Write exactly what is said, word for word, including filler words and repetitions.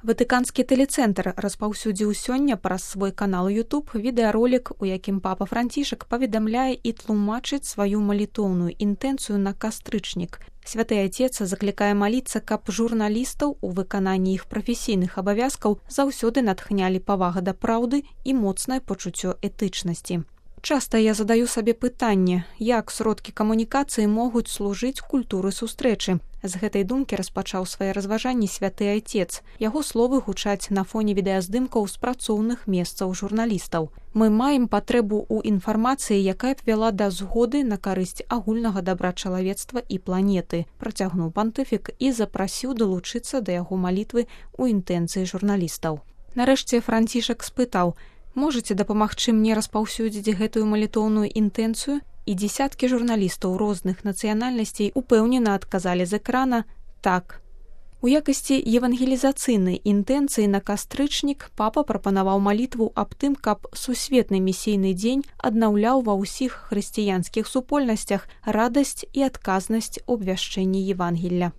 Ватыканскі тэлецэнтр распаўсюдзіў сёння праз свой канал YouTube відэаролік, у якім папа Францішак паведамляе і тлумачыць сваю малітоўную інтэнцыю на кастрычнік. Святы Айцец заклікае маліцца, каб журналістаў у выкананні іх прафесійных абавязкаў заўсёды натхнялі павага да праўды і моцнае пачуццё этычнасці. Часта я задаю сабе пытанне, як сродкі камунікацыі могуць служыць культуры сустрэчы. З гэтай думкі распачаў свае разважанні святы Айцец. Яго словы гучаць на фоне відэаздымкаў з працоўных месцаў журналістаў. Мы маем патрэбу ў інфармацыі, якая б вяла да згоды на карысць агульнага дабра чалавецтва і планеты, працягнуў пантыфік і запрасіў далучыцца да яго малітвы ў інтэнцыі журналістаў. Нарэшце Францішак спытаў: «Можаце дапамагчы мне распаўсюдзіць гэтую малітоўную інтэнцыю?» І дзесяткі журналістаў розных нацыянальнасцей упэўнена адказалі з экрана «так». У якасці евангелізацыйнай інтэнцыі на кастрычнік папа прапанаваў малітву аб тым, каб сусветны місійны дзень аднаўляў ва ўсіх хрысціянскіх супольнасцях радасць і адказнасць у абвяшчэнні Евангелля.